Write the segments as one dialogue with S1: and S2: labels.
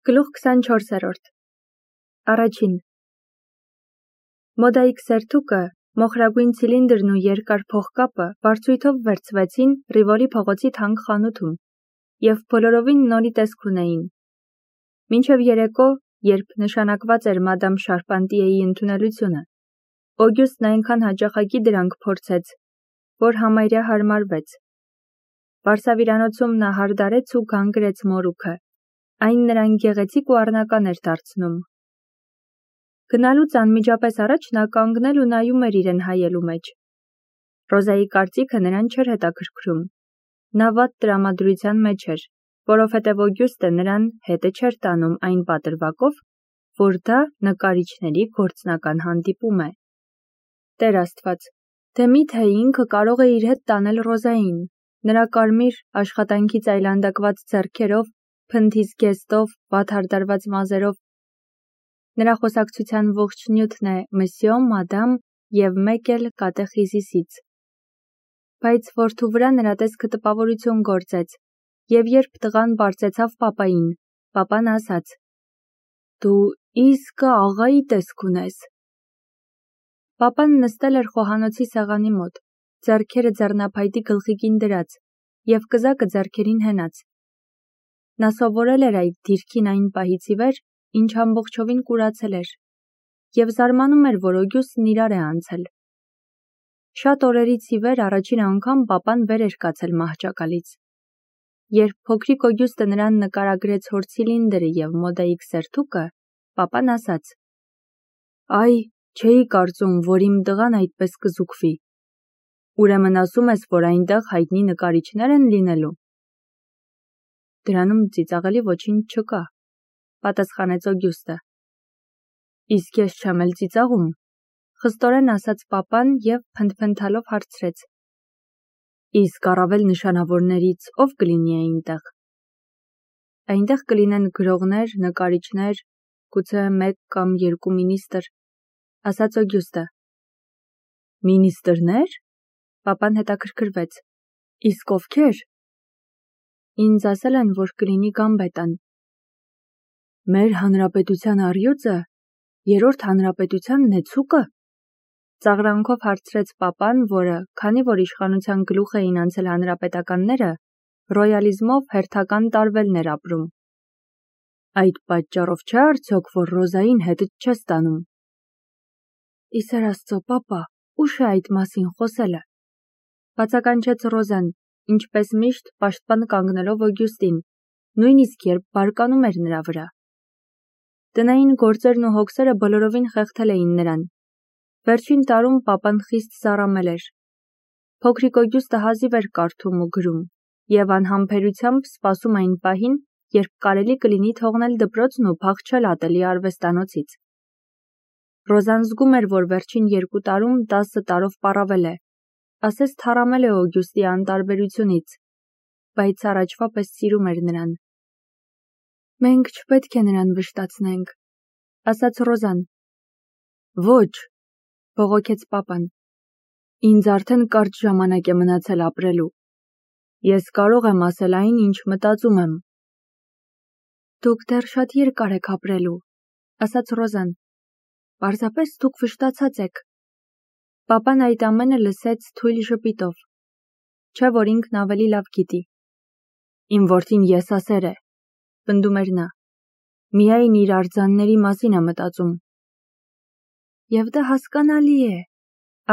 S1: Գլուխ 24-րդ Առաջին Մոդայիկ սերթուկը, մոխրագույն ցիլինդրն ու երկար փողկապը վարձույթով վերցվեցին Ռիվոլի փողոցի թանկ խանութում և բոլորովին նորի տեսք ունեին։ Մինչև երեկո, երբ նշանակված էր մադամ Շարպանտիեի ընդունելությունը, Օգյուստն այնքան հաճախակի դրանք փորձեց, որ համարյա հարմարվեց։ Վարսավիրանոցում նա հարդարեց ու գանգրեց մորուքը, այն նրան գեղեցիկ ու առնական էր դարձնում։ Գնալուց անմիջապես առաջ նա կանգնել ու նայում էր իրեն հայելու մեջ։ Ռոզայի կարծիքը նրան չէր հետաքրքրում։ Նա վատ տրամադրության մեջ էր, որովհետև Օգյուստը նրան հետը չէր տանում այն պատրվակով, որ դա նկարիչների գործնական հանդիպում է։ Տեր Աստված, թե միթե ինքը կարող է իր հետ տանել Ռոզային, նրա կարմիր, աշխատանքից այլանդակված ձեռքերով, փնթի զգեստով, վատ հարդարված մազերով։ Նրա խոսակցության ողջ նյութն է «Մսյո», «Մադամ» և մեկ էլ «Կատեխիզիսից»։ Բայց որդու վրա նրա տեսքը տպավորություն գործեց, և երբ տղան բարձեցավ պապային, պապան ասաց. «Դու իսկը աղայի տեսք ունես»։ Պապան նստել էր խոհանոցի սեղանի մոտ, ձեռքերը ձեռնափայտի գլխիկին դրած և կզակը ձեռքերին հենած։ Նա սովորել էր այդ դիրքին այն պահից ի վեր, ինչ ամբողջովին կուրացել էր, և զարմանում էր, որ Օգյուստն իրար է անցել։ Շատ օրերից ի վեր առաջին անգամ պապան վեր էր կացել մահճակալից։ Երբ փոքրիկ Օգյուստը նրան նկարագրեց հոր ցիլինդրը և մոդայիկ սերթուկը, պապան ասաց. «Այ, չէի կարծում, որ իմ տղան այդպես կզուգվի։ Ուրեմն ասում ես, որ այնտեղ հայտնի նկարիչներ են լինելու»։ Դրանում ծիծաղելի ոչինչ չկա, պատասխանեց Օգյուստը։ Իսկ ես չեմ էլ ծիծաղում, խստորեն ասաց պապան և փնթփնթալով հարցրեց. Իսկ առավել նշանավորներից ով կլինի այնտեղ։ Այնտեղ կլինեն գրողներ, նկարիչներ, գուցե մեկ կամ երկու մինիստր, ասաց Օգյուստը։ Մինիստրներ։ Պապան հետաքրքրվեց. Իսկ ովքեր։ Ինձ ասել են, որ կլինի Գամբետան։ Մեր հանրապետության առյուծը, երրորդ հանրապետության նեցուկը։ Ծաղրանքով հարցրեց պապան, որը, քանի որ իշխանության գլուխ էին անցել հանրապետականները, ռոյալիզմով հերթական տարվելն էր ապրում։ Այդ պատճառով չէ արդյոք, որ Ռոզային հետդ չես տանում։ Իսեր Աստծո, պապա, ուշ է այդ մասին խոսելը։ Բացականչեց Ռոզան, ինչպես միշտ պաշտպան կանգնելով Օգյուստին, նույնիսկ երբ բարկանում էր նրա վրա։ Տնային գործերն ու հոգսերը բոլորովին խեղդել էին նրան։ Վերջին տարում պապան խիստ զառամել էր։ Փոքրիկ Օգյուստը հազիվ էր կարդում ու գրում, և անհամբերությամբ սպասում այն պահին, երբ կարելի կլինի թողնել դպրոցն ու փախչել ատելի արվեստանոցից։ Ռոզան զգում էր, որ վերջին 2 տարում 10 տարով պառավել է, ասես թառամել է Օգյուստի անտարբերությունից, բայց առաջվա պես սիրում էր նրան։ Մենք չպետք է նրան վշտացնենք, ասաց Ռոզան։ Ոչ, բողոքեց պապան։ Ինձ արդեն կարճ ժամանակ է մնացել ապրելու։ Ես կարող եմ ասել այն, ինչ մտածում եմ։ Դուք դեռ շատ երկար եք ապրելու, ասաց Ռոզան։ Պարզապես դուք վշտացած եք։ Պապան այդ ամենը լսեց թույլ ժպիտով։ Չէ՞ որ ինքն ավելի լավ գիտի։ Իմ որդին եսասեր է, պնդում էր նա։ Միայն իր արձանների մասին է մտածում։ Եվ դա հասկանալի է,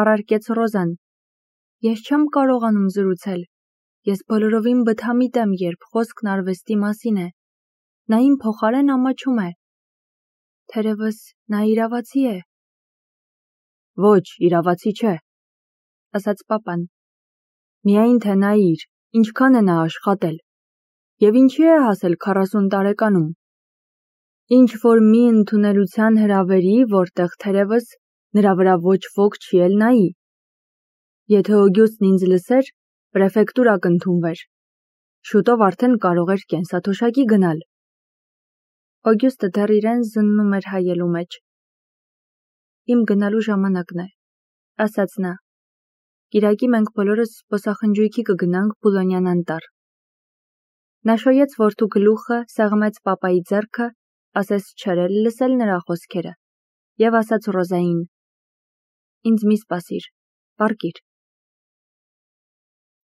S1: առարկեց Ռոզան։ Ես չեմ կարողանում զրուցել։ Ես բոլորովին բթամիտ եմ, երբ խոսքն արվեստի մասին է։ Նա իմ փոխարեն ամաչում է։ Թերևս նա իրավացի է։ Ոչ, իրավացի չէ, ասաց պապան։ Միայն թե նայիր, ինչքան է նա աշխատել, և ինչի է հասել 40 տարեկանում։ Ինչ որ մի ընդունելության հրավերի, որտեղ թերևս նրա վրա ոչ ոք չի էլ նայի։ Եթե Օգյուստն ինձ լսեր, պրեֆեկտուրա կընդունվեր։ Շուտով արդեն կարող էր կենսաթոշակի գնալ։ Օգյուստը դեռ իրեն զննում էր հայելու մեջ։ Իմ գնալու ժամանակն է, ասաց նա։ Կիրակի մենք բոլորս զբոսախնջույքի կգնանք Բուլոնյան անտառ։ Նա շոյեց որդու գլուխը, սեղմեց պապայի ձեռքը ասես չէր էլ լսել նրա խոսքերը, եւ ասաց Ռոզային. «Ինձ մի սպասիր, պառկիր»։